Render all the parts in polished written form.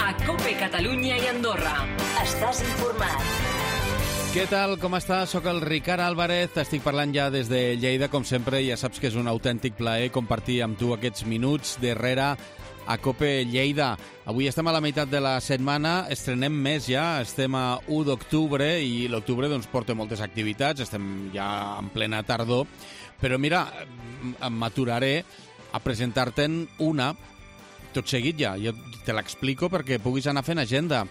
A COPE Catalunya i Andorra. Estàs informat. Què tal, com estàs? Soc el Ricard Álvarez, t'estic parlant ja des de Lleida, com sempre, ja saps que és un autèntic plaer compartir amb tu aquests minuts darrere a COPE Lleida. Avui estem a la meitat de la setmana, estrenem més ja, estem a 1 d'octubre i l'octubre doncs porta moltes activitats, estem ja en plena tardor, però mira, m'aturaré a presentar-te'n una, tot seguit ja, jo te l'explico perquè puguis anar fent agenda.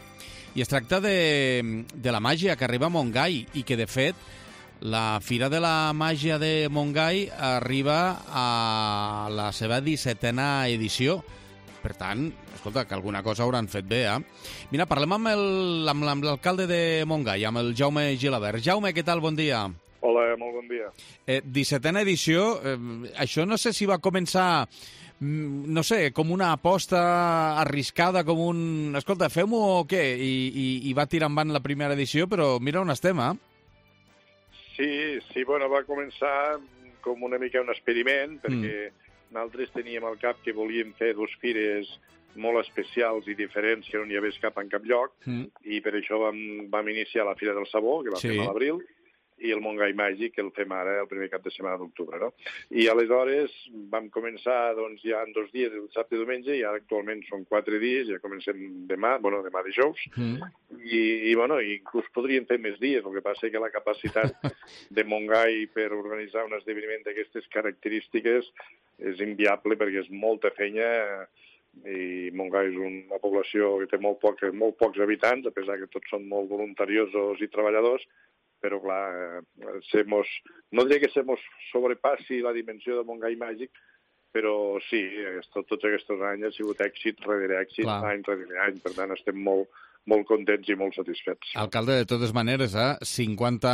I es tracta de la màgia que arriba a Montgai i que, de fet, la Fira de la Màgia de Montgai arriba a la seva 17a edició. Per tant, escolta, que alguna cosa hauran fet bé, eh? Mira, parlem amb l'alcalde de Montgai, amb el Jaume Gilabert. Jaume, què tal? Bon dia. Hola, molt bon dia. 17a edició, això no sé si va començar, no sé, com una aposta arriscada, com un... Escolta, fem-ho o què? I va tirar endavant la primera edició, però mira on estem, eh? Sí, bueno, va començar com una mica un experiment, perquè nosaltres teníem al cap que volíem fer dues fires molt especials i diferents que no n'hi hagués cap en cap lloc, i per això vam iniciar la Fira del Sabó, que la fem a l'abril, i el Montgai Màgic, que el fem ara el primer cap de setmana d'octubre, no? I aleshores vam començar doncs, ja en 2 dies, el dissabte i diumenge, i ara actualment són 4 dies, ja comencem demà dijous, i inclús podríem fer més dies, el que passa és que la capacitat de Montgai per organitzar un esdeveniment d'aquestes característiques és inviable perquè és molta feina, i Montgai és una població que té molt pocs habitants, a pesar que tots són molt voluntariosos i treballadors, però clar, no diré que se mos sobrepassi la dimensió del Montgai Màgic, però sí, tots aquests anys ha sigut èxit rere èxit, any rere any, per tant estem molt contents i molt satisfets. Alcalde, de totes maneres, 50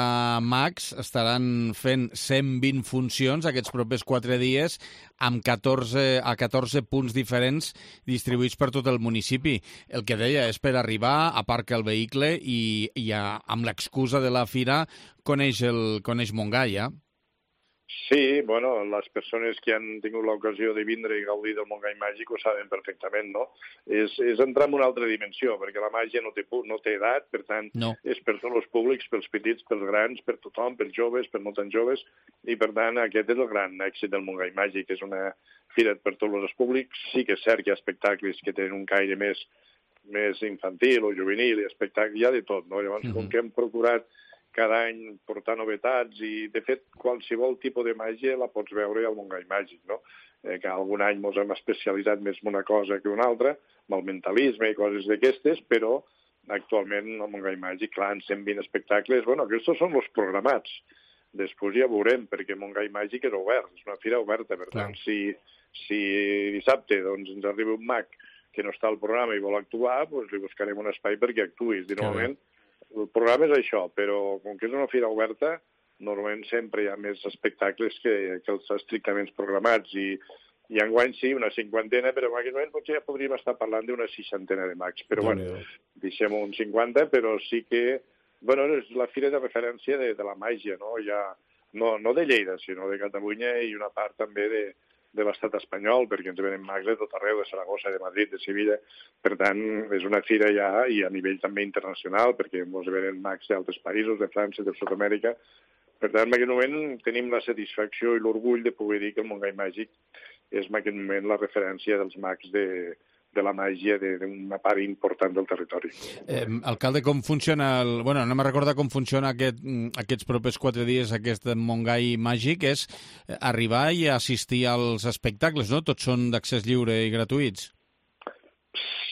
mags estaran fent 120 funcions aquests propers 4 dies amb 14 punts diferents distribuïts per tot el municipi. El que deia és per arribar, aparca el vehicle i amb l'excusa de la fira coneix Montgai, eh? Sí, bueno, les persones que han tingut l'ocasió de vindre i gaudir del Montgai Màgic ho saben perfectament, no? És entrar en una altra dimensió, perquè la màgia no té edat, per tant, és per tots els públics, pels petits, pels grans, per tothom, pels joves, per no tan joves, i per tant aquest és el gran èxit del Montgai Màgic, és una fira per tots els públics. Sí que és cert que hi ha espectacles que tenen un caire més infantil o juvenil, i espectacles, hi ha de tot, no? Llavors, com que hem procurat cada any portar novetats i, de fet, qualsevol tipus de màgia la pots veure al Montgai Màgic, no? Que algun any ens hem especialitzat més en una cosa que una altra, amb el mentalisme i coses d'aquestes, però actualment al Montgai Màgic, clar, en 120 espectacles, bueno, aquests són els programats. Després ja veurem, perquè Montgai Màgic és obert, és una fira oberta, per tant, si dissabte doncs, ens arriba un mag que no està al programa i vol actuar, doncs li buscarem un espai perquè actuïs. I normalment el programa és això, però com que és una fira oberta, normalment sempre hi ha més espectacles que els estrictament programats, i enguany sí, una 50, però en aquest moment potser ja podríem estar parlant d'una 60 de mags. Però bueno, deixem un 50, però sí que, bueno, és la fira de referència de la màgia, no? Ja, no de Lleida, sinó de Catalunya i una part també de l'estat espanyol, perquè ens venen mags de tot arreu, de Saragossa, de Madrid, de Sevilla. Per tant, és una fira ja, i a nivell també internacional, perquè ens venen mags d'altres països, de França, de Sud-amèrica. Per tant, en aquest moment tenim la satisfacció i l'orgull de poder dir que el Montgai Màgic és en aquest moment la referència dels mags de la màgia d'una part important del territori. Alcalde, com funciona Bueno, anem a recordar com funciona aquests propers 4 dies, aquest Montgai Màgic, és arribar i assistir als espectacles, no? Tots són d'accés lliure i gratuïts.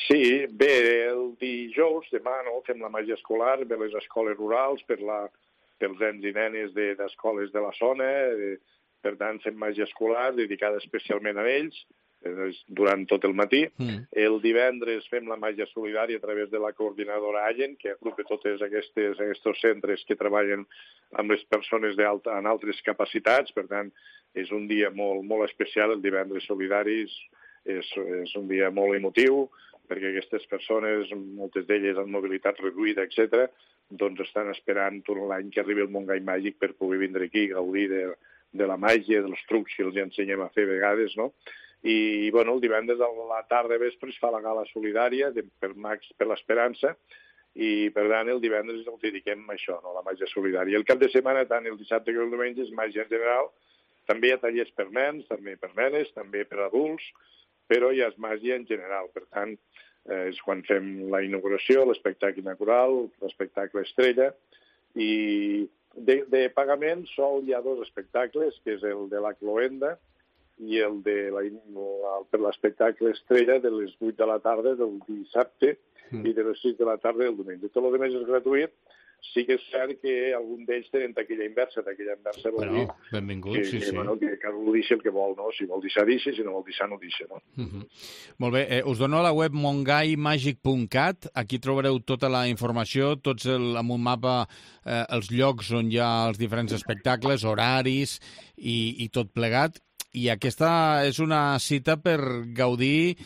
Sí, bé, el dijous, demà, no?, fem la màgia escolar, ve les escoles rurals, pels nens i nenes d'escoles de la zona, per tant, fem màgia escolar dedicada especialment a ells, durant tot el matí. El divendres fem la màgia solidària a través de la coordinadora Allen, que agrupa tots aquests centres que treballen amb les persones en altres capacitats. Per tant, és un dia molt especial. El divendres solidari és un dia molt emotiu, perquè aquestes persones, moltes d'elles amb mobilitat reduïda, etc., doncs estan esperant tot l'any que arribi el Montgai Màgic per poder vindre aquí i gaudir de la màgia, dels trucs que els ensenyem a fer a vegades, no? I, bueno, el divendres a la tarda vespre es fa la gala solidària per Mags per l'Esperança, i per tant el divendres el dediquem a això, no? La màgia solidària. El cap de setmana, tant el dissabte com el diumenge, és màgia en general. També hi ha tallers per nens, també per nenes, també per adults, però ja és màgia en general. Per tant, és quan fem la inauguració, l'espectacle inaugural, l'espectacle estrella, i de pagament sol hi ha 2 espectacles, que és el de la Cloenda i el de per l'espectacle estrella de les 8 de la tarda del dissabte i de les 6 de la tarda del diumenge. Tot el que és gratuït. Sí que és cert que algun d'ells tenen taquilla inversa. Taquilla inversa vol dir benvingut, sí. Que cadascú deixa el que vol, no? Si vol deixar, deixa, si no vol deixar, no deixa, no? Molt bé. Us dono la web mongaimagic.cat. Aquí trobareu tota la informació, amb un mapa, els llocs on hi ha els diferents espectacles, horaris i tot plegat. I aquesta és una cita per gaudir...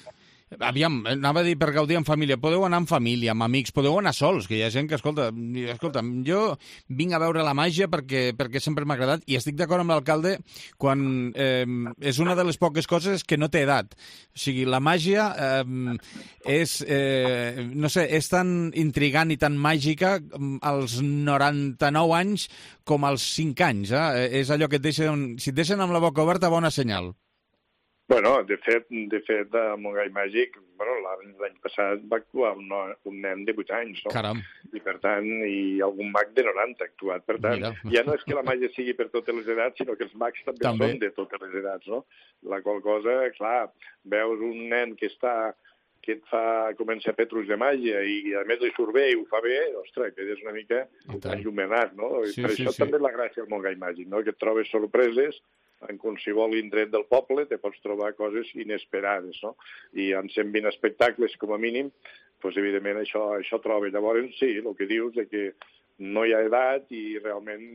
Aviam, anava a dir per gaudir en família. Podeu anar en família, amb amics, podeu anar sols, que hi ha gent que, escolta, jo vinc a veure la màgia perquè sempre m'ha agradat i estic d'acord amb l'alcalde quan és una de les poques coses que no té edat. O sigui, la màgia és tan intrigant i tan màgica als 99 anys com als 5 anys. És allò que si et deixen amb la boca oberta, bona senyal. Bueno, de fet, a Montgai Màgic, l'any passat va actuar un nen de 8 anys, no? Caram. I per tant, algun mag de 90 ha actuat. Per tant, ja no és que la màgia sigui per totes les edats, sinó que els mags també són de totes les edats, no? La qual cosa, clar, veus un nen que comença a fer trucs de màgia i a més li surt bé i ho fa bé, ostres, que és una mica enllumenat, no? Per això també és la gràcia del Montgai Màgic, no? Que et trobes sorpreses en qualsevol indret del poble, te pots trobar coses inesperades, no? I en 120 espectacles, com a mínim, doncs, evidentment, això troba. Llavors, sí, el que dius és que no hi ha edat i realment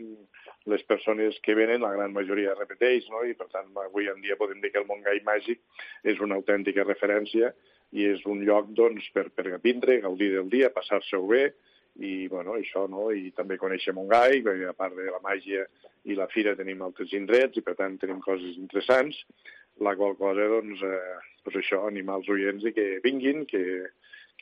les persones que venen, la gran majoria repeteix, no? I, per tant, avui en dia podem dir que el Montgai Màgic és una autèntica referència i és un lloc, doncs, per vindre, gaudir del dia, passar-se-ho bé, i, bueno, això, no? I també conèixer Montgai, perquè a part de la màgia i la fira tenim altres indrets i, per tant, tenim coses interessants, la qual cosa, doncs això, animar els oients i que vinguin, que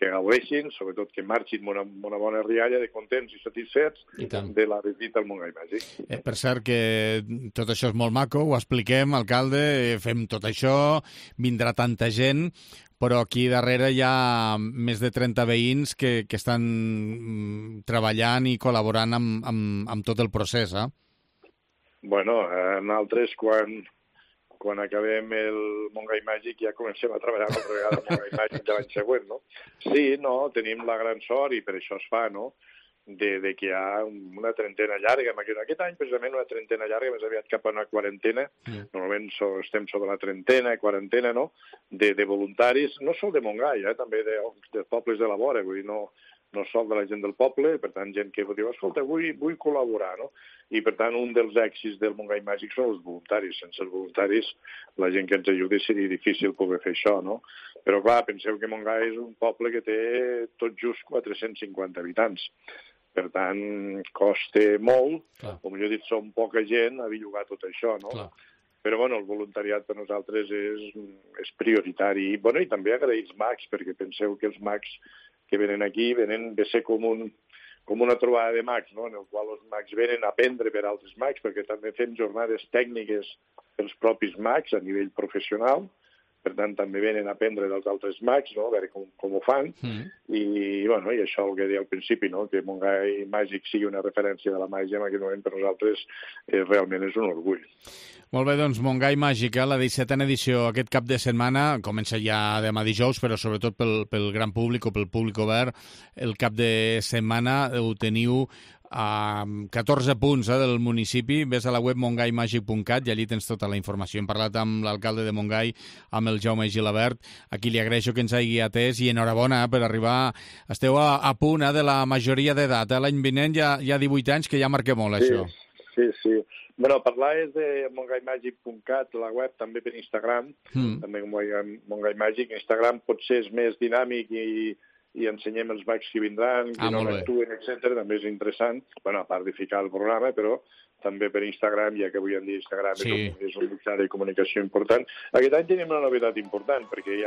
gaudeixin, sobretot que marxin amb una bona rialla de contents i satisfets de la visita al Montgai Màgic. Per cert, que tot això és molt maco, ho expliquem, alcalde, fem tot això, vindrà tanta gent, però aquí darrere hi ha més de 30 veïns que estan treballant i col·laborant amb tot el procés, eh? Bueno, nosaltres quan acabem el Montgai Màgic ja comencem a treballar una altra vegada al Montgai Màgic de l'any següent, no? Sí, no, tenim la gran sort i per això es fa, no?, de que hi ha una trentena llarga. Aquest any, precisament, una trentena llarga, més aviat cap a una quarantena. Normalment estem sobre la trentena, quarantena, no?, de voluntaris, no sol de Montgai, també de pobles de la vora, vull dir, no sol de la gent del poble, per tant, gent que diu, escolta, vull col·laborar, no? I, per tant, un dels èxits del Montgai Màgic són els voluntaris. Sense els voluntaris, la gent que ens ajudi seria difícil poder fer això, no? Però, clar, penseu que Montgai és un poble que té tot just 450 habitants. Per tant, costa molt, com jo he dit, som poca gent a bellugar tot això, no? Clar. Però, bueno, el voluntariat per nosaltres és prioritari. I també agrair els mags, perquè penseu que els mags que venen aquí venen de ser com una trobada de mags, no?, en el qual els mags venen a aprendre per altres mags, perquè també fem jornades tècniques pels propis mags a nivell professional, per tant, també venen a aprendre dels altres mags, no?, a veure com ho fan, i això el que deia al principi, no?, que Montgai Màgic sigui una referència de la màgia en aquest moment per nosaltres realment és un orgull. Molt bé, doncs Montgai Màgic, la 17a edició aquest cap de setmana, comença ja demà dijous, però sobretot pel gran públic o pel públic obert, el cap de setmana ho teniu a 14 punts del municipi. Ves a la web mongaimagic.cat i allí tens tota la informació. Hem parlat amb l'alcalde de Montgai, amb el Jaume Gilabert, a qui li agraeixo que ens hagi atès i enhorabona per arribar. Esteu a punt de la majoria d'edat. L'any vinent ja 18 anys, que ja marca molt, això. Sí. Bueno, parlar és de mongaimagic.cat, la web, també per Instagram, també com Montgai Màgic. Instagram potser és més dinàmic i ensenyem els bacs que vindran, que no actuen, etc. També és interessant, bueno, a part de ficar el programa, però també per Instagram, ja que avui en dia Instagram és un mitjà de comunicació important. Aquest any tenim una novetat important, perquè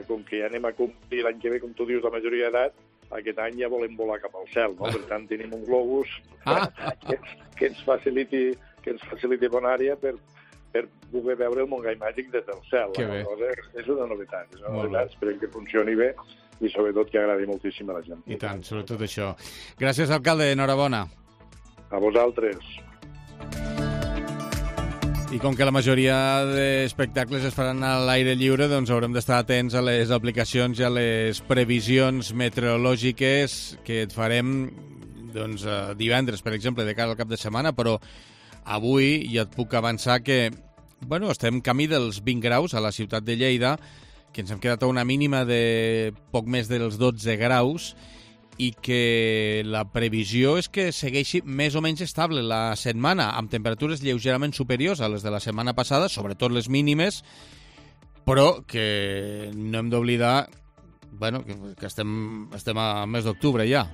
com que ja anem a complir l'any que ve, com tu dius, la majoria d'edat, aquest any ja volem volar cap al cel, no? Per tant, tenim un globus que ens faciliti bona àrea per poder veure el Montgai Màgic des del cel. És una novetat, esperem que funcioni bé i sobretot que agradi moltíssim a la gent. I tant, sobretot això. Gràcies, alcalde, enhorabona. A vosaltres. I com que la majoria d'espectacles es faran a l'aire lliure, doncs haurem d'estar atents a les aplicacions i a les previsions meteorològiques que et farem divendres, per exemple, de cara al cap de setmana, però avui ja et puc avançar que estem camí dels 20 graus a la ciutat de Lleida, que ens hem quedat a una mínima de poc més dels 12 graus i que la previsió és que segueixi més o menys estable la setmana, amb temperatures lleugerament superiors a les de la setmana passada, sobretot les mínimes, però que no hem d'oblidar que estem a mes d'octubre ja,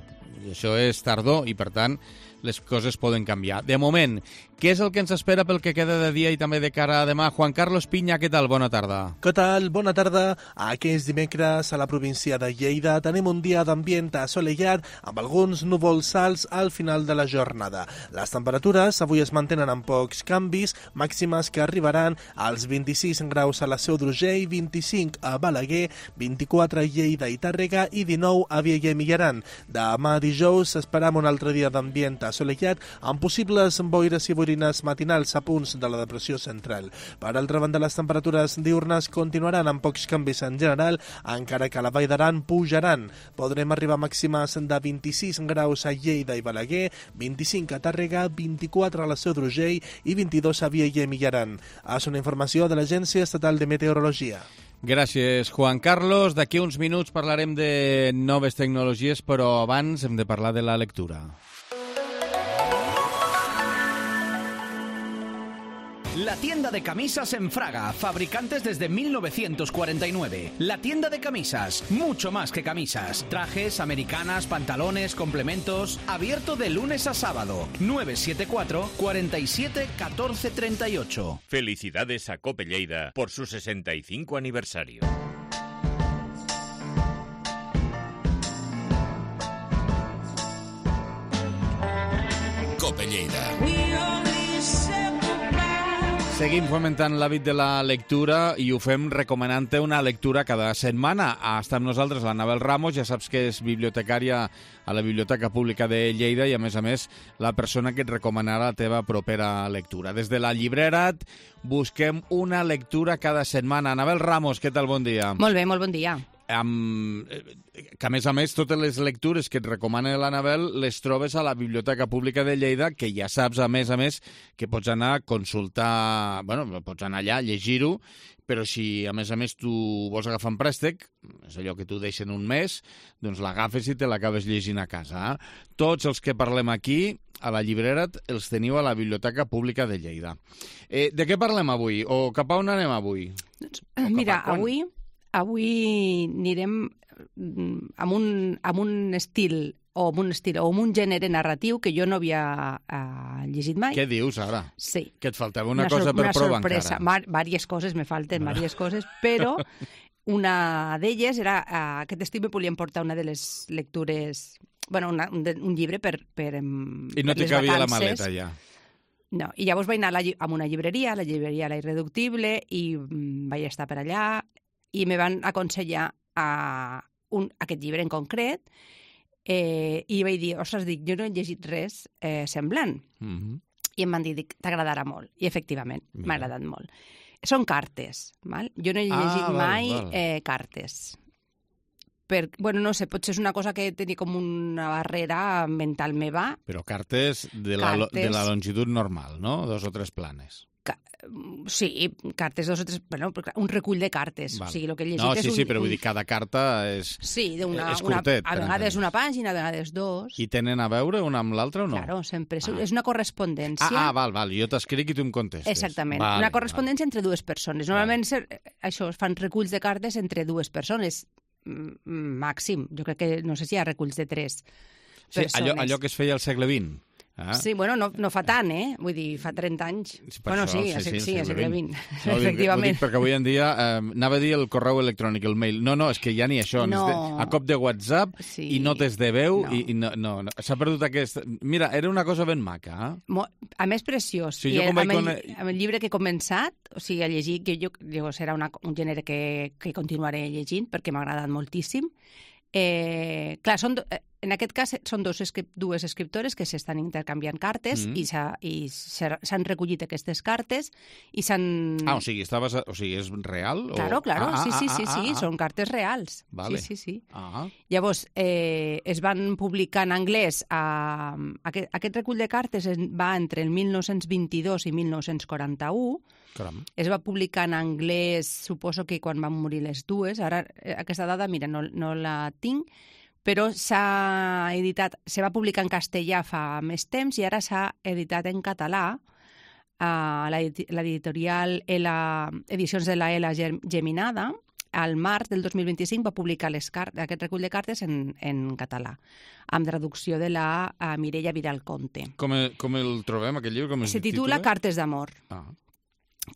i això és tardor i, per tant, les coses poden canviar. De moment, què és el que ens espera pel que queda de dia i també de cara a demà? Juan Carlos Piña, què tal? Bona tarda. Què tal? Bona tarda. Aquest dimecres a la província de Lleida tenim un dia d'ambient assolellat amb alguns núvols alts al final de la jornada. Les temperatures avui es mantenen amb pocs canvis, màximes que arribaran als 26 graus a la Seu d'Urgell, 25 a Balaguer, 24 a Lleida i Tàrrega i 19 a Vielha i Mijaran. Demà dijous esperam un altre dia d'ambient assolellat amb possibles boires i boirines matinals a punts de la depressió central. Per altra banda, les temperatures diurnes continuaran amb pocs canvis en general, encara que a la Vall d'Aran pujaran. Podrem arribar a màximes de 26 graus a Lleida i Balaguer, 25 a Tàrrega, 24 a la Seu d'Urgell i 22 a Vielha i Mijaran. És una informació de l'Agència Estatal de Meteorologia. Gràcies, Juan Carlos. D'aquí uns minuts parlarem de noves tecnologies, però abans hem de parlar de la lectura. La tienda de camisas en Fraga, fabricantes desde 1949. La tienda de camisas, mucho más que camisas. Trajes, americanas, pantalones, complementos. Abierto de lunes a sábado. 974 47 14 38. Felicidades a Cope Lleida por su 65 aniversario. Cope Lleida. Seguim fomentant l'hàbit de la lectura i ho fem recomanant-te una lectura cada setmana. Està amb nosaltres l'Anabel Ramos, ja saps que és bibliotecària a la Biblioteca Pública de Lleida i, a més, la persona que et recomanarà la teva propera lectura. Des de la Llibrera't busquem una lectura cada setmana. Anabel Ramos, què tal? Bon dia. Molt bé, molt bon dia. Que, a més, totes les lectures que et recomana l'Anabel les trobes a la Biblioteca Pública de Lleida, que ja saps, a més, que pots anar a consultar, pots anar allà, llegir-ho, però si, a més, tu vols agafar un préstec, és allò que tu deixen un mes, doncs l'agafes i te l'acabes llegint a casa. Tots els que parlem aquí, a la Llibrera't, els teniu a la Biblioteca Pública de Lleida. De què parlem avui? O cap a on anem avui? Mira, avui anirem amb un estil o amb un gènere narratiu que jo no havia llegit mai. Què dius ara? Sí. Que et faltava una cosa per provar sorpresa. encara. Vàries coses, me falten vàries coses, però una d'elles era aquest estiu me volien portar una de les lectures, un llibre per I no t'hi cabia la maleta ja. No, i llavors vaig anar a una llibreria, la llibreria La Irreductible, i vaig estar per allà i me van aconsellar aquest llibre en concret i vaig dir, jo no he llegit res semblant. I em van dir, t'agradarà molt. I efectivament, m'ha agradat molt. Són cartes, val? Jo no he llegit mai cartes. No sé, potser és una cosa que tenia com una barrera mental meva. Però cartes de la longitud normal, no? 2 o 3 planes. Sí, cartes 2 o 3... un recull de cartes. Val. O sigui, el que he llegit és sí, però vull dir, cada carta és... Sí, és curtet. A vegades una pàgina, a vegades 2. I tenen a veure una amb l'altra o no? Claro, sempre. És una correspondència. Val. Jo t'escric i tu em contestes. Exactament. Una correspondència entre 2 persones. Normalment això es fan reculls de cartes entre 2 persones. màxim. Jo crec que, no sé si hi ha reculls de 3 persones. Allò que es feia al segle XX. Sí, bueno, no fa tant, fa 30 anys. Bueno, sí, al segle XX, efectivament. Perquè avui en dia, anava a dir el correu electrònic, el mail. No, és que ja ni això. A cop de WhatsApp i notes de veu, i no. S'ha perdut aquest... Mira, era una cosa ben maca. A més, preciós. I amb el llibre que he començat, o sigui, a llegir, que jo serà un gènere que continuaré llegint, perquè m'ha agradat moltíssim. Clar, en aquest cas són dues escriptores que s'estan intercanviant cartes i s'han recollit aquestes cartes i s'han... O sigui, és real? Claro, sí, són cartes reals. Vale. Sí. Llavors, es van publicar en anglès... Aquest recull de cartes va entre el 1922 i 1941. Caram. Es va publicar en anglès, suposo que quan van morir les dues. Ara, aquesta dada, mira, no la tinc, però se va publicar en castellà fa més temps i ara s'ha editat en català. L'editorial Edicions de la Ela Geminada, al març del 2025, va publicar aquest recull de cartes en català, amb traducció de la Mireia Vidal Conte. Com el trobem, aquest llibre? Se titula Cartes d'amor.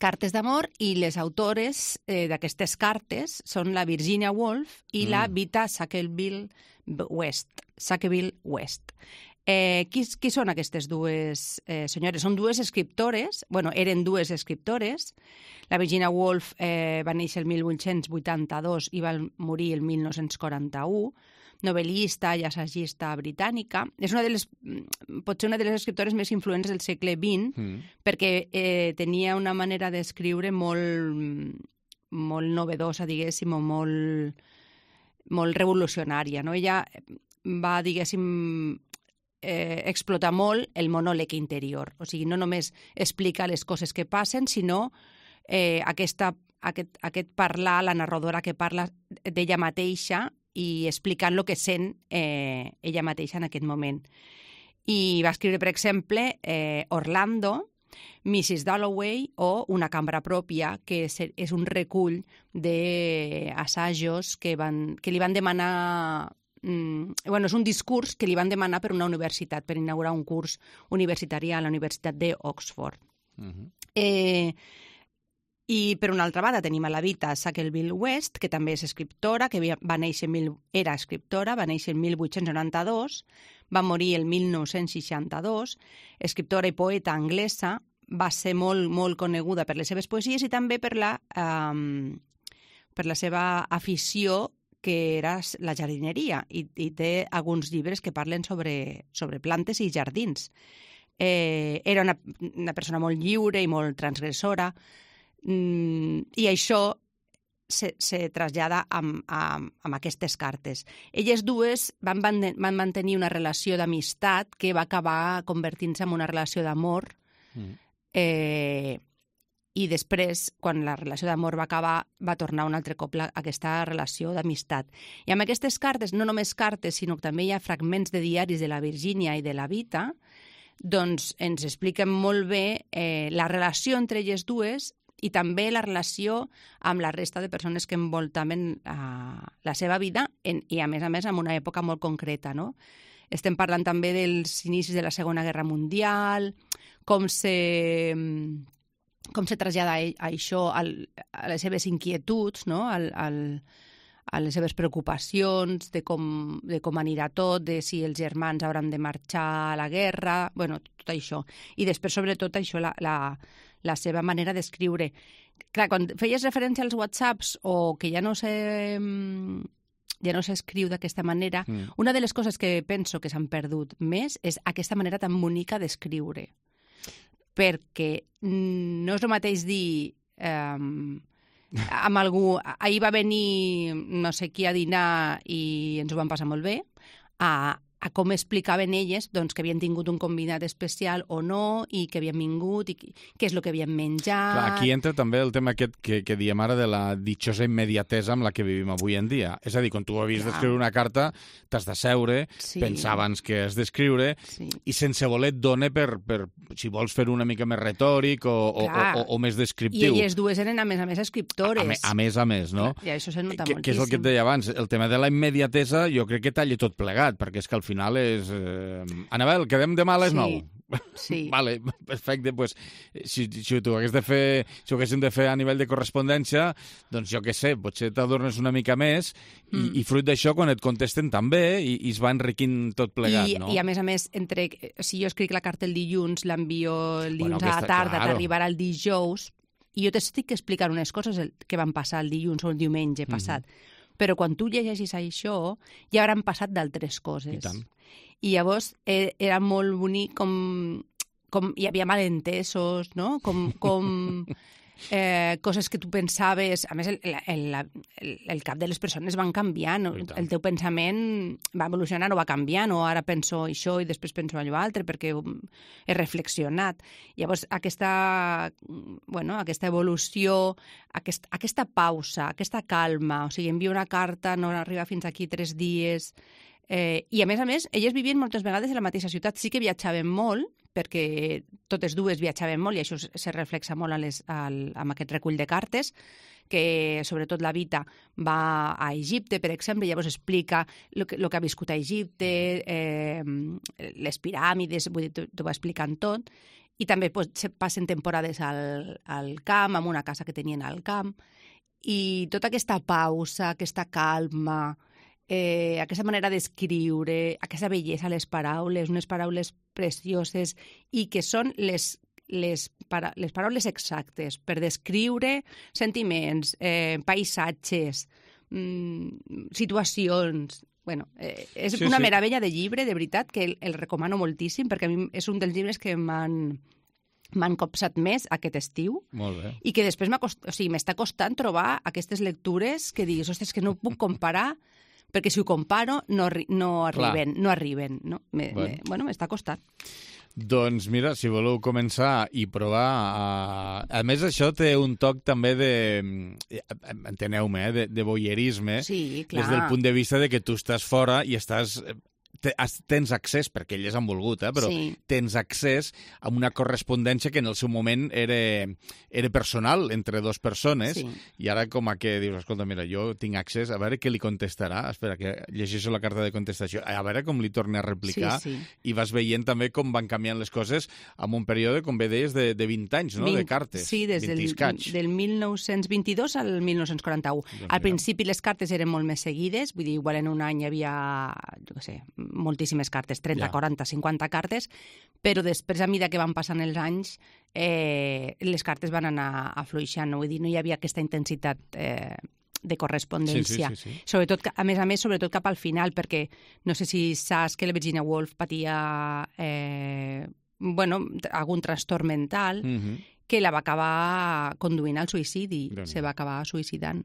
Cartes d'amor, i les autores d'aquestes cartes són la Virginia Woolf i la Vita Sackville West. Qui són aquestes dues senyores? Són dues escriptores, eren dues escriptores. La Virginia Woolf va néixer el 1882 i va morir el 1941, novel·lista i assagista britànica. És potser una de les escriptores més influents del segle XX, perquè tenia una manera d'escriure molt novedosa, diguéssim, o molt revolucionària. Ella va, diguéssim, explotar molt el monòleg interior. O sigui, no només explica les coses que passen, sinó aquest parlar, la narradora que parla d'ella mateixa i explicant el que sent ella mateixa en aquest moment. I va escriure, per exemple, Orlando, Mrs. Dalloway o Una cambra pròpia, que és un recull d'assajos que li van demanar... és un discurs que li van demanar per una universitat, per inaugurar un curs universitari a la Universitat d'Oxford. I, per una altra banda, tenim a la Vita Sackville West, que també és escriptora, que era escriptora, va néixer el 1892, va morir el 1962, escriptora i poeta anglesa, va ser molt, molt coneguda per les seves poesies i també per la seva afició, que era la jardineria, i té alguns llibres que parlen sobre plantes i jardins. Era una persona molt lliure i molt transgressora, i això se trasllada amb aquestes cartes. Elles dues van mantenir una relació d'amistat que va acabar convertint-se en una relació d'amor, i després, quan la relació d'amor va acabar, va tornar un altre cop aquesta relació d'amistat. I amb aquestes cartes, no només cartes, sinó que també hi ha fragments de diaris de la Virginia i de la Vita, doncs ens expliquen molt bé la relació entre elles dues i també la relació amb la resta de persones que envoltaven la seva vida i, a més, en una època molt concreta, no? Estem parlant també dels inicis de la Segona Guerra Mundial, com se trasllada això a les seves inquietuds, no? A les seves preocupacions, de com anirà tot, de si els germans hauran de marxar a la guerra, tot això. I després, sobretot, això, la seva manera d'escriure. Clar, quan feies referència als WhatsApps o que ja no s'escriu d'aquesta manera, una de les coses que penso que s'han perdut més és aquesta manera tan bonica d'escriure. Perquè no és el mateix dir amb algú, ahir va venir no sé qui a dinar i ens ho vam passar molt bé, a a com explicaven elles doncs, que havien tingut un convidat especial o no, i que havien vingut, i què és el que havien menjat... Clar, aquí entra també el tema aquest que diem ara de la ditxosa immediatesa amb la que vivim avui en dia. És a dir, quan tu havies d'escriure una carta, t'has de seure, pensar abans que has d'escriure, i sense voler et dona per, si vols fer una mica més retòric o més descriptiu. I elles dues eren, a més, escriptores. A més, no? I això se nota moltíssim. Que és el que et deia abans, el tema de la immediatesa jo crec que talla tot plegat, perquè és que al final és... Anabel, quedem demà a les 9. Sí. Vale, perfecte. Pues, si ho haguéssim de fer a nivell de correspondència, doncs jo què sé, potser t'adornes una mica més i fruit d'això, quan et contesten també, i es va enriquint tot plegat, no? I a més, si jo escric la carta el dilluns, l'envio el dilluns a la tarda, t'arribarà el dijous, i jo t'estic explicant unes coses que van passar el dilluns o el diumenge passat. Però quan tu llegeixis això, ja hauran passat d'altres coses. I tant. I llavors era molt bonic com hi havia malentesos, no? Com coses que tu pensaves... A més, el cap de les persones van canviant, el teu pensament va evolucionant o va canviant, o ara penso això i després penso allò altre, perquè he reflexionat. Llavors, aquesta evolució, aquesta pausa, aquesta calma, o sigui, envio una carta, no arriba fins aquí 3 dies... I, a més, elles vivien moltes vegades a la mateixa ciutat. Sí que viatjaven molt, perquè totes dues viatjaven molt, i això se reflexa molt amb aquest recull de cartes, que sobretot la Vita va a Egipte, per exemple, llavors explica el que ha viscut a Egipte, les piràmides, vull dir, t'ho va explicant tot, i també se passen temporades al camp, en una casa que tenien al camp, i tota aquesta pausa, aquesta calma, aquesta manera d'escriure, aquesta bellesa a les paraules, unes paraules precioses, i que són les paraules exactes per descriure sentiments, paisatges, situacions... Bueno, és una meravella de llibre, de veritat, que el recomano moltíssim, perquè a mi és un dels llibres que m'han copsat més aquest estiu. Molt bé. I que després m'està costant trobar aquestes lectures que diguis, ostres, que no puc comparar, perquè si ho comparo no arriben. No? M'està costant. Doncs mira, si voleu començar i provar... A més, això té un toc també de... Enteneu-me, de voyeurisme. Sí, clar. Des del punt de vista de que tu estàs fora i estàs... tens accés, perquè elles han volgut, però tens accés a una correspondència que en el seu moment era personal entre dues persones, i ara com a que dius, escolta, mira, jo tinc accés, a veure què li contestarà, espera, que llegeixo la carta de contestació, a veure com li torna a replicar, i vas veient també com van canviant les coses en un període, com bé deies, de 20 anys, no?, de cartes. Sí, des del 1922 al 1941. Al principi les cartes eren molt més seguides, vull dir, igual en un any hi havia, jo què sé, moltíssimes cartes, 30, 40, 50 cartes, però després, a mesura que van passant els anys, les cartes van anar afluixant, vull dir, no hi havia aquesta intensitat de correspondència. Sí. Sobretot, a més, sobretot cap al final, perquè no sé si saps que la Virginia Woolf patia algun trastorn mental que la va acabar conduint al suïcidi, se va acabar suïcidant.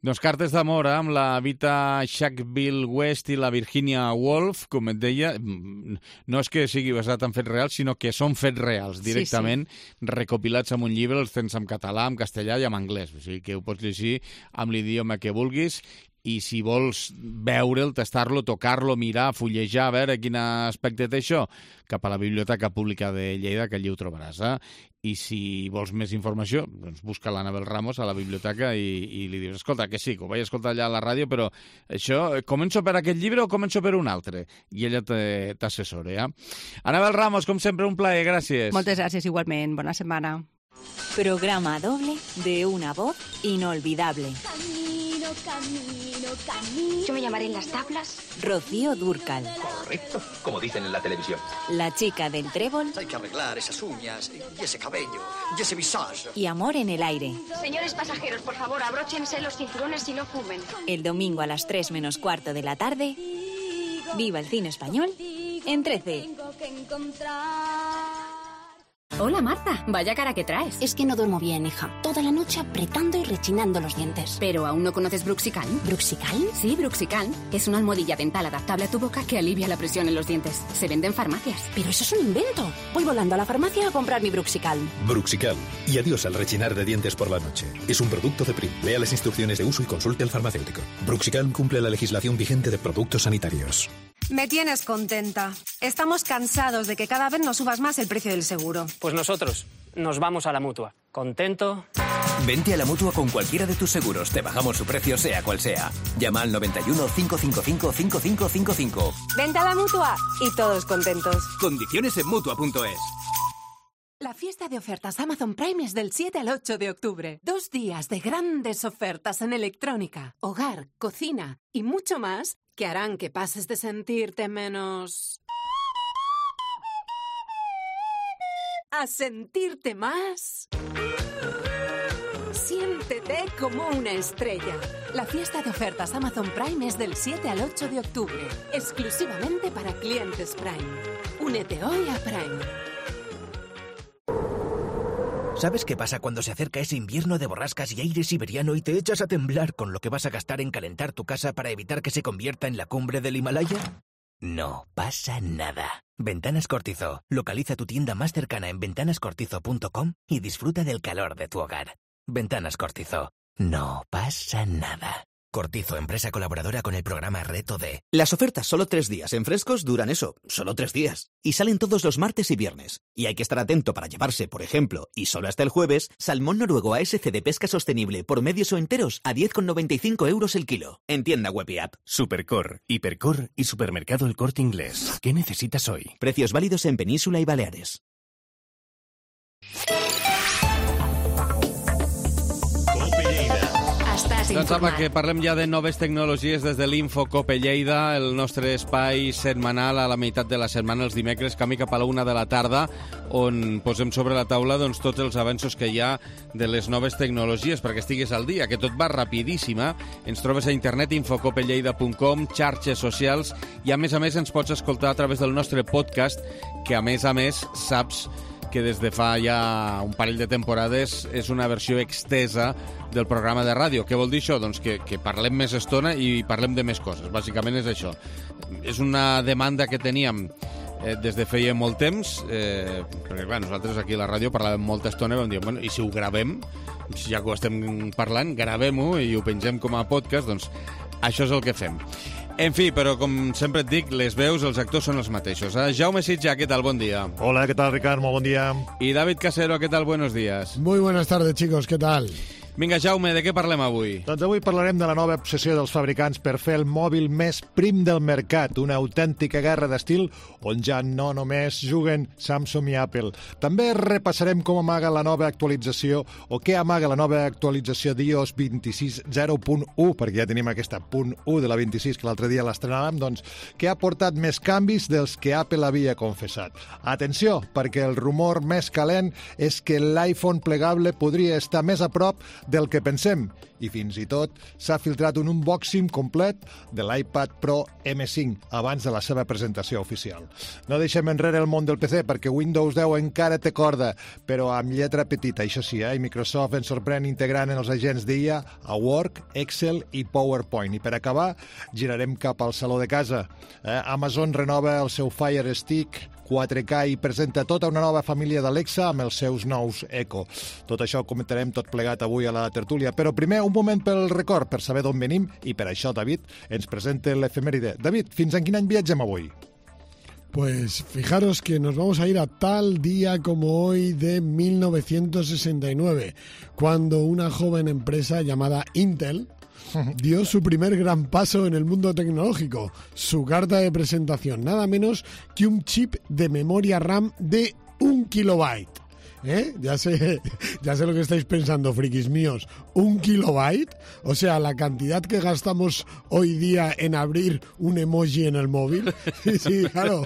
Doncs cartes d'amor amb la Vita Sackville West i la Virginia Woolf, com et deia, no és que sigui basat en fets reals, sinó que són fets reals, directament recopilats en un llibre, els tens en català, en castellà i en anglès, o sigui que ho pots llegir amb l'idioma que vulguis, i si vols veure'l, tastar-lo, tocar-lo, mirar, fullejar, a veure quin aspecte té això, cap a la Biblioteca Pública de Lleida, que allí ho trobaràs. I si vols més informació, doncs busca l'Anabel Ramos a la biblioteca i li dius, escolta, que sí, que ho vaig escoltar allà a la ràdio, però això, començo per aquest llibre o començo per un altre? I ella t'assessora, Anabel Ramos, com sempre, un plaer, gràcies. Moltes gràcies, igualment. Bona setmana. Programa doble de una voz inolvidable. Camino. Yo me llamaré en las tablas Rocío Dúrcal. Correcto, como dicen en la televisión. La chica del trébol. Hay que arreglar esas uñas y ese cabello y ese visage. Y Amor en el aire. Señores pasajeros, por favor, abróchense los cinturones y no fumen. El domingo a las 3 menos cuarto de la tarde. Viva el cine español en 13. Hola, Marta. Vaya cara que traes. Es que no duermo bien, hija. Toda la noche apretando y rechinando los dientes. ¿Pero aún no conoces Bruxicalm? ¿Bruxicalm? Sí, Bruxicalm. Es una almohadilla dental adaptable a tu boca que alivia la presión en los dientes. Se vende en farmacias. Pero eso es un invento. Voy volando a la farmacia a comprar mi Bruxicalm. Bruxicalm. Y adiós al rechinar de dientes por la noche. Es un producto de Prim. Lea las instrucciones de uso y consulte al farmacéutico. Bruxicalm cumple la legislación vigente de productos sanitarios. Me tienes contenta. Estamos cansados de que cada vez nos subas más el precio del seguro. Pues nosotros nos vamos a la Mutua. ¿Contento? Vente a la Mutua con cualquiera de tus seguros. Te bajamos su precio sea cual sea. Llama al 91 555 5555. Vente a la Mutua y todos contentos. Condiciones en Mutua.es. La fiesta de ofertas Amazon Prime es del 7 al 8 de octubre. 2 días de grandes ofertas en electrónica, hogar, cocina y mucho más que harán que pases de sentirte menos a sentirte más. Siéntete como una estrella. La fiesta de ofertas Amazon Prime es del 7 al 8 de octubre, exclusivamente para clientes Prime. Únete hoy a Prime. ¿Sabes qué pasa cuando se acerca ese invierno de borrascas y aire siberiano y te echas a temblar con lo que vas a gastar en calentar tu casa para evitar que se convierta en la cumbre del Himalaya? No pasa nada. Ventanas Cortizo. Localiza tu tienda más cercana en ventanascortizo.com y disfruta del calor de tu hogar. Ventanas Cortizo. No pasa nada. Cortizo, empresa colaboradora con el programa Reto D. Las ofertas solo 3 días en Frescos duran eso, solo 3 días. Y salen todos los martes y viernes. Y hay que estar atento para llevarse, por ejemplo, y solo hasta el jueves, salmón noruego ASC de pesca sostenible por medios o enteros a 10,95 € el kilo. En tienda web y app. Supercor, Hipercor y Supermercado El Corte Inglés. ¿Qué necesitas hoy? Precios válidos en Península y Baleares. Doncs apa, que parlem ja de noves tecnologies des de l'Info Cope Lleida, el nostre espai setmanal a la meitat de la setmana, els dimecres, camí cap a la 1 de la tarda, on posem sobre la taula doncs, tots els avenços que hi ha de les noves tecnologies, perquè estigues al dia, que tot va rapidíssima. Ens trobes a internet, infocopelleida.com, xarxes socials, i a més ens pots escoltar a través del nostre podcast, que a més saps que des de fa ja un parell de temporades és una versió extesa del programa de ràdio. Què vol dir això? Doncs que parlem més estona i parlem de més coses. Bàsicament és això. És una demanda que teníem des de feia molt temps, perquè clar, nosaltres aquí a la ràdio parlàvem molta estona i vam dir, bueno, i si ho gravem, ja que ho estem parlant, gravem-ho i ho pengem com a podcast, doncs això és el que fem. En fi, però com sempre et dic, les veus, els actors són els mateixos. Jaume Sitja, ¿qué tal? Buen día. Hola, ¿qué tal, Ricardo? Buen día. Y David Casero, ¿qué tal? Buenos días. Muy buenas tardes, chicos, ¿qué tal? Vinga, Jaume, de què parlem avui? Doncs avui parlarem de la nova obsessió dels fabricants per fer el mòbil més prim del mercat, una autèntica guerra d'estil on ja no només juguen Samsung i Apple. També repassarem com amaga la nova actualització o què amaga la nova actualització d'iOS 26.0.1, perquè ja tenim aquesta .1 de la 26 que l'altre dia l'estrenàvem, doncs que ha portat més canvis dels que Apple havia confessat. Atenció, perquè el rumor més calent és que l'iPhone plegable podria estar més a prop del que pensem, i fins i tot s'ha filtrat un unboxing complet de l'iPad Pro M5 abans de la seva presentació oficial. No deixem enrere el món del PC perquè Windows 10 encara té corda, però amb lletra petita, això sí, i Microsoft ens sorprèn integrant en els agents d'IA a Word, Excel i PowerPoint. I per acabar, girarem cap al saló de casa. Amazon renova el seu Fire Stick 4K i presenta tota una nova família d'Alexa amb els seus nous Echo. Tot això ho comentarem tot plegat avui a la tertúlia. Però primer, un moment pel record, per saber d'on venim, i per això David ens presenta l'efemèride. David, fins en quin any viatgem avui? Pues fijaros que nos vamos a ir a tal día como hoy de 1969, cuando una joven empresa llamada Intel dio su primer gran paso en el mundo tecnológico. Su carta de presentación, nada menos que un chip de memoria RAM de 1 kilobyte. Ya sé lo que estáis pensando, frikis míos. ¿1 kilobyte? O sea, la cantidad que gastamos hoy día en abrir un emoji en el móvil. Sí, claro.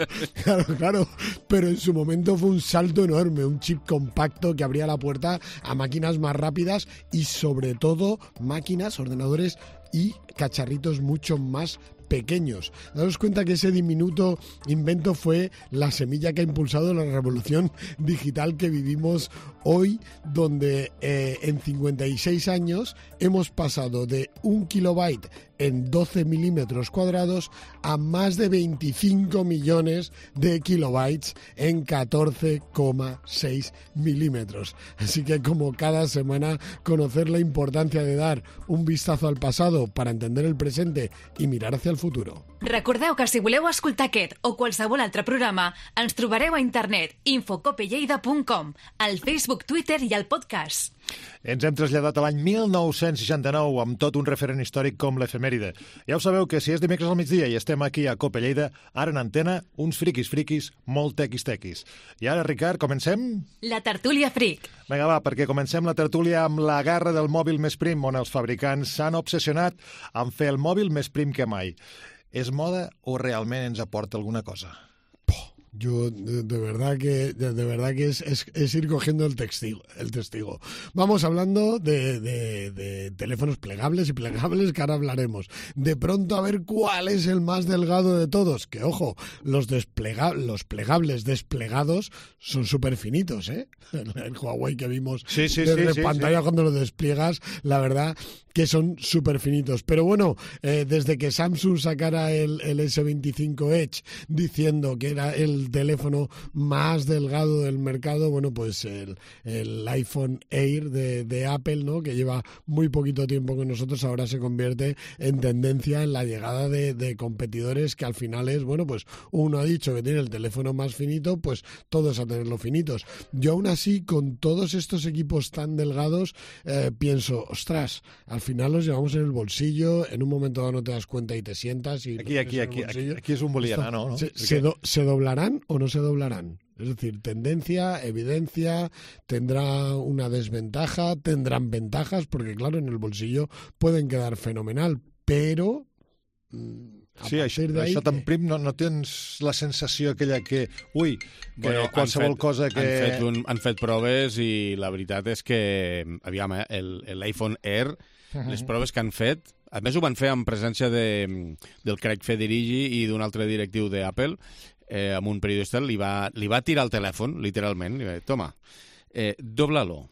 Pero en su momento fue un salto enorme, un chip compacto que abría la puerta a máquinas más rápidas y sobre todo máquinas, ordenadores y cacharritos mucho más pequeños. Daos cuenta que ese diminuto invento fue la semilla que ha impulsado la revolución digital que vivimos hoy, donde en 56 años hemos pasado de 1 kilobyte en 12 milímetros cuadrados a más de 25 millones de kilobytes en 14,6 milímetros. Así que, como cada semana, conocer la importancia de dar un vistazo al pasado para entender el presente i mirar hacia el futuro. Recordeu que si voleu escoltar aquest o qualsevol altre programa, ens trobareu a internet infocopelleida.com, al Facebook, Twitter i al podcast. Ens hem traslladat a l'any 1969 amb tot un referent històric com l'efemèride. Ja ho sabeu que si és dimecres al migdia i estem aquí a Cope Lleida, ara en antena, uns friquis molt tequis. I ara, Ricard, comencem? La tertúlia fric. Vinga, va, perquè comencem la tertúlia amb la guerra del mòbil més prim, on els fabricants s'han obsessionat en fer el mòbil més prim que mai. És moda o realment ens aporta alguna cosa? Yo de verdad que es ir cogiendo el testigo. Vamos hablando de teléfonos plegables que ahora hablaremos. De pronto a ver cuál es el más delgado de todos. Que ojo, los plegables desplegados son súper finitos, ¿eh? El Huawei que vimos desde pantalla cuando lo despliegas, la verdad que son súper finitos. Pero bueno, desde que Samsung sacara el S25 Edge diciendo que era el teléfono más delgado del mercado, bueno, pues el iPhone Air de Apple, ¿no?, que lleva muy poquito tiempo con nosotros, ahora se convierte en tendencia en la llegada de competidores que al final es, bueno, pues uno ha dicho que tiene el teléfono más finito, pues todos a tenerlo finitos. Yo aún así, con todos estos equipos tan delgados, pienso, ostras, al final los llevamos en el bolsillo, en un momento dado no te das cuenta y te sientas y... Aquí es un boliviana, ¿no? ¿Se doblarán o no se doblarán? Es decir, tendencia, evidencia, tendrá una desventaja, tendrán ventajas, porque claro, en el bolsillo pueden quedar fenomenal, pero... Sí, això tan prim no tens la sensació aquella que, qualsevol cosa que... Han fet proves i la veritat és que, aviam, l'iPhone Air, les proves que han fet, a més ho van fer en presència del Craig Federighi i d'un altre directiu d'Apple, amb un periodista, li va tirar el telèfon, literalment, i va dir, toma, dobla-lo.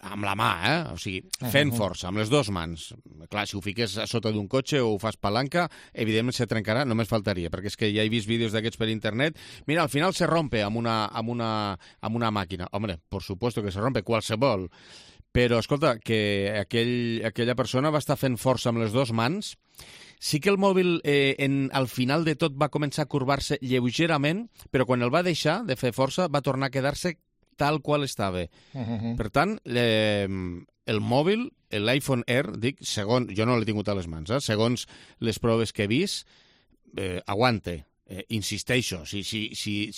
Amb la mà, o sigui, fent força, amb les dues mans. Clar, si ho fiques a sota d'un cotxe o ho fas palanca, evidentment se trencarà, només faltaria, perquè és que ja he vist vídeos d'aquests per internet. Mira, al final se rompe amb una màquina. Hombre, por supuesto que se rompe, qualsevol. Però, escolta, que aquella persona va estar fent força amb les dues mans. Sí que el mòbil al final de tot va començar a curvar-se lleugerament, però quan el va deixar de fer força va tornar a quedar-se tal qual estava. Per tant, el mòbil, l'iPhone Air, jo no l'he tingut a les mans, segons les proves que he vist, aguante. Insisteixo, si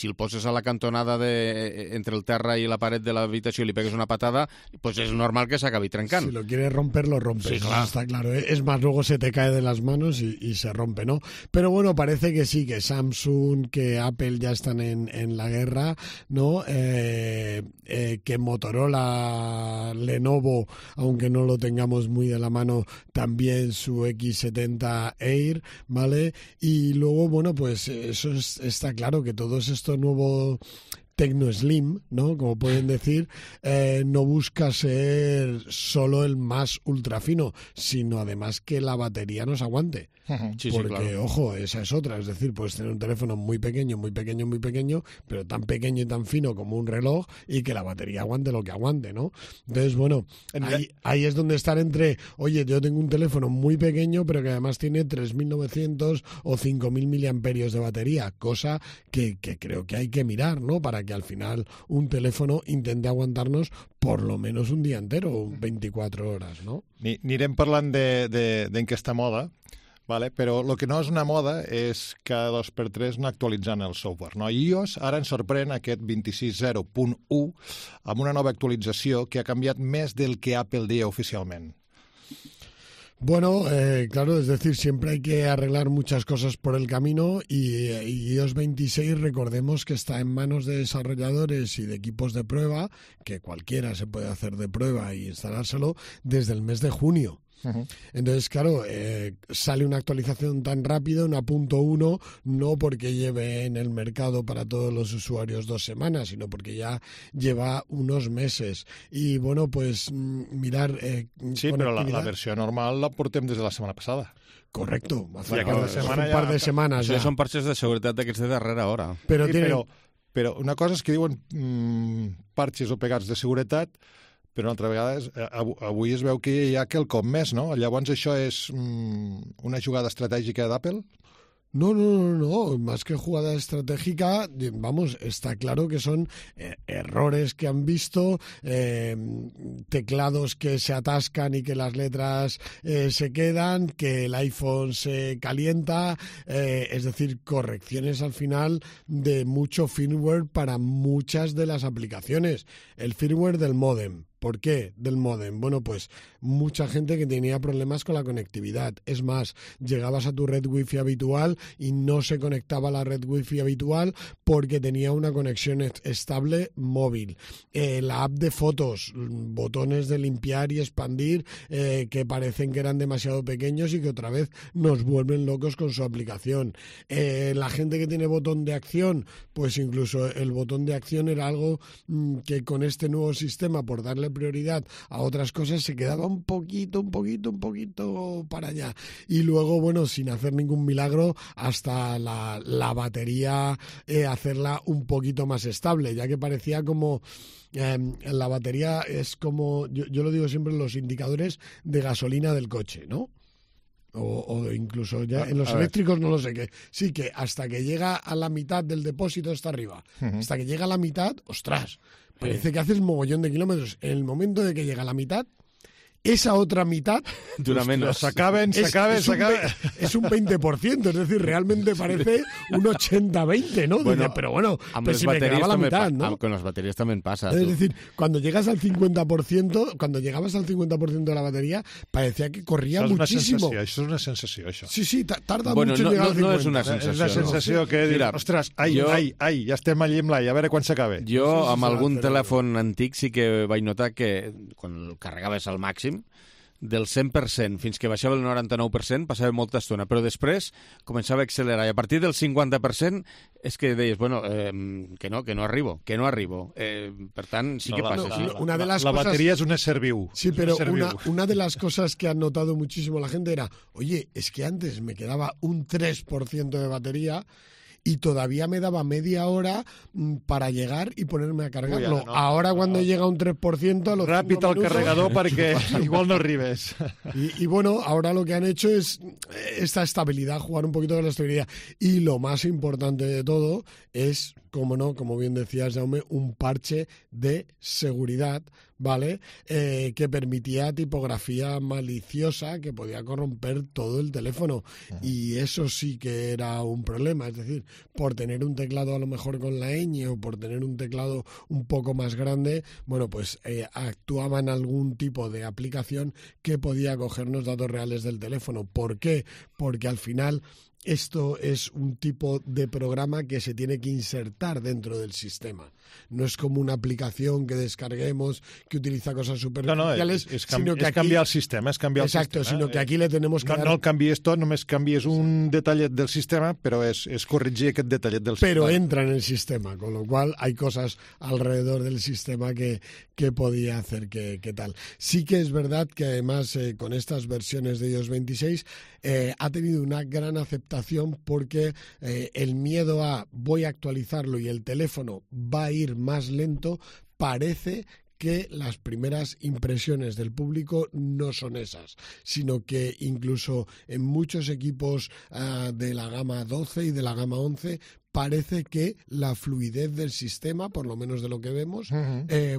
el poses a la cantonada entre el terra i la paret de l'habitació i li pegues una patada, pues es normal que s'acabi trencant. Si lo quieres romper, lo rompes. Sí, claro. Está claro. Es más, luego se te cae de las manos y se rompe, ¿no? Pero bueno, parece que sí, que Samsung, que Apple ya están en la guerra, ¿no? Que Motorola, Lenovo, aunque no lo tengamos muy de la mano, también su X70 Air, ¿vale? Y luego, bueno, pues eso está claro, que todos estos nuevos Tecno Slim, ¿no?, como pueden decir, no busca ser solo el más ultra fino, sino además que la batería nos aguante. Sí, porque, claro, ojo, esa es otra. Es decir, puedes tener un teléfono muy pequeño, pero tan pequeño y tan fino como un reloj, y que la batería aguante lo que aguante, ¿no? Entonces, bueno, ahí es donde estar entre, oye, yo tengo un teléfono muy pequeño, pero que además tiene 3.900 o 5.000 miliamperios de batería, cosa que creo que hay que mirar, ¿no?, para que al final un teléfono intente aguantarnos por lo menos un día entero, 24 horas, ¿no? Anirem parlant d'aquesta moda, vale? Però el que no és una moda és cada 2x3 anar actualitzant el software, no? iOS ara ens sorprèn aquest 26.0.1 amb una nova actualització que ha canviat més del que Apple deia oficialment. Bueno, claro, es decir, siempre hay que arreglar muchas cosas por el camino y iOS 26, recordemos que está en manos de desarrolladores y de equipos de prueba, que cualquiera se puede hacer de prueba y instalárselo desde el mes de junio. Entonces, claro, sale una actualización tan rápida, una .1, no porque lleve en el mercado para todos los usuarios 2 semanas, sino porque ya lleva unos meses. Y bueno, pues mirar... sí, però la versió normal la portem des de la setmana passada. Correcto. Hace un par de semanas ya. Són parxes de seguretat d'aquests de darrera hora. Però una cosa és que diuen parxes o pegats de seguretat, però una altra vegada avui es veu que hi ha quelcom més, no? Llavors això és una jugada estratègica d'Apple? No, más que jugada estratégica, vamos, está claro que son errores que han visto, teclados que se atascan y que las letras se quedan, que el iPhone se calienta, es decir, correcciones al final de mucho firmware para muchas de las aplicaciones. El firmware del módem. ¿Por qué del módem? Bueno, pues mucha gente que tenía problemas con la conectividad. Es más, llegabas a tu red wifi habitual y no se conectaba a la red wifi habitual porque tenía una conexión estable móvil. La app de fotos, botones de limpiar y expandir que parecen que eran demasiado pequeños y que otra vez nos vuelven locos con su aplicación. La gente que tiene botón de acción, pues incluso el botón de acción era algo que con este nuevo sistema, por darle prioridad a otras cosas, se quedaba un poquito para allá. Y luego, bueno, sin hacer ningún milagro, hasta la batería hacerla un poquito más estable, ya que parecía como... la batería es como, yo lo digo siempre, los indicadores de gasolina del coche, ¿no? O incluso ya en los eléctricos no lo sé qué. Sí, que hasta que llega a la mitad del depósito está arriba. Hasta que llega a la mitad, ostras, parece que haces mogollón de kilómetros. En el momento de que llega a la mitad, esa otra mitad dura menos. Se acaben. Es un 20%, es decir, realmente parece un 80-20, ¿no? Bueno, pero bueno, pues si me quedaba la mitad, ¿no? Con las baterías también pasa. Es decir, cuando llegas al 50%, cuando llegabas al 50% de la batería, parecía que corría muchísimo. Això és una sensació, això. Sí, tarda mucho en llegar al 50%. No és una sensació. És la sensació que dir, ostres, ja estem allí amb l'ai, a veure quan s'acaba. Jo, amb algun telèfon antic, sí que vaig notar que quan el carregaves al màxim, del 100% fins que baixava el 99% passava molta estona, però després començava a accelerar i a partir del 50% és que deies, bueno, que no arribo. Per tant, sí que passa així. La batería es un ser viu. Sí, pero una de las cosas que han notado muchísimo la gente era, oye, es que antes me quedaba un 3% de batería y todavía me daba media hora para llegar y ponerme a cargarlo. Ahora cuando llega un 3%... A los Ràpid al carregador perquè igual no arribes. Y bueno, ahora lo que han hecho es esta estabilidad, jugar un poquito con la estabilidad. Y lo más importante de todo es, como no, como bien decías, Jaume, un parche de seguridad, ¿vale? Que permitía tipografía maliciosa que podía corromper todo el teléfono. Y eso sí que era un problema. Es decir, por tener un teclado a lo mejor con la ñ o por tener un teclado un poco más grande, bueno, pues actuaba en algún tipo de aplicación que podía cogernos datos reales del teléfono. ¿Por qué? Porque al final... Esto es un tipo de programa que se tiene que insertar dentro del sistema. No es como una aplicación que descarguemos, que utiliza cosas superficiales, sino que aquí... canviar el sistema, és canviar exacto, el sistema. Sino que aquí le tenemos que dar... No el canvies tot, només canvies un detallet del sistema, però és corregir aquest detallet del sistema. Pero entra en el sistema, con lo cual hay cosas alrededor del sistema que podía hacer que tal. Sí que es verdad que además con estas versiones de iOS 26 ha tenido una gran aceptación porque el miedo a voy a actualizarlo y el teléfono va a ir más lento parece que las primeras impresiones del público no son esas, sino que incluso en muchos equipos de la gama 12 y de la gama 11 parece que la fluidez del sistema, por lo menos de lo que vemos,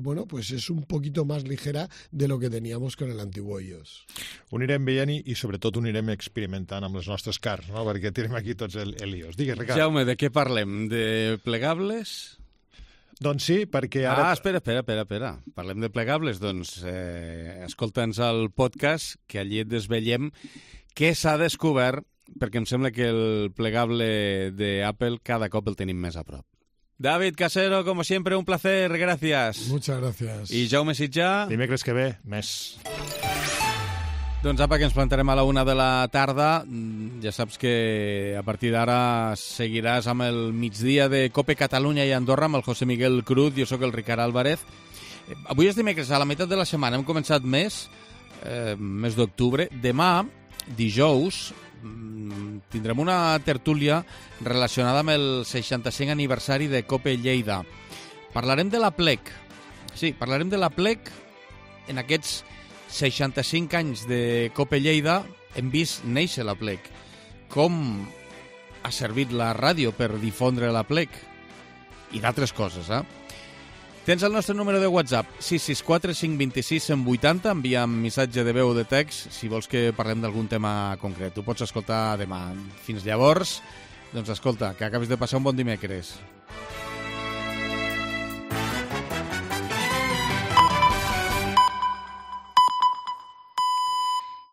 bueno, pues és un poquito más ligera de lo que teníamos con el antiguo iOS. Ho anirem veient i sobretot ho anirem experimentant amb les nostres cars, no? Perquè tenim aquí tots el iOS. Digues, Ricard. Jaume, de què parlem? De plegables? Doncs sí, perquè ara... Espera. Parlem de plegables? Doncs escolta'ns el podcast, que allí et desvetllem què s'ha descobert, perquè em sembla que el plegable de Apple cada cop el tenim més a prop. David Casero, como siempre, un placer, gracias. Muchas gracias. I Jaume Sitjà... Dimecres que ve, més. Doncs apa, que ens plantarem a la 1 de la tarda. Ja saps que a partir d'ara seguiràs amb el migdia de Cope Catalunya i Andorra amb el José Miguel Cruz. Jo sóc el Ricard Álvarez. Avui és dimecres, a la meitat de la setmana. Hem començat mes d'octubre. Demà, dijous, tindrem una tertúlia relacionada amb el 65 aniversari de Cope Lleida. Parlarem de la plec. Sí, parlarem de la plec. En aquests 65 anys de Cope Lleida hem vist néixer la plec. Com ha servit la ràdio per difondre la plec i d'altres coses, Tens el nostre número de WhatsApp, 664 526 180, envia'm missatge de veu o de text si vols que parlem d'algun tema concret. Ho pots escoltar demà. Fins llavors, doncs escolta, que acabis de passar un bon dimecres.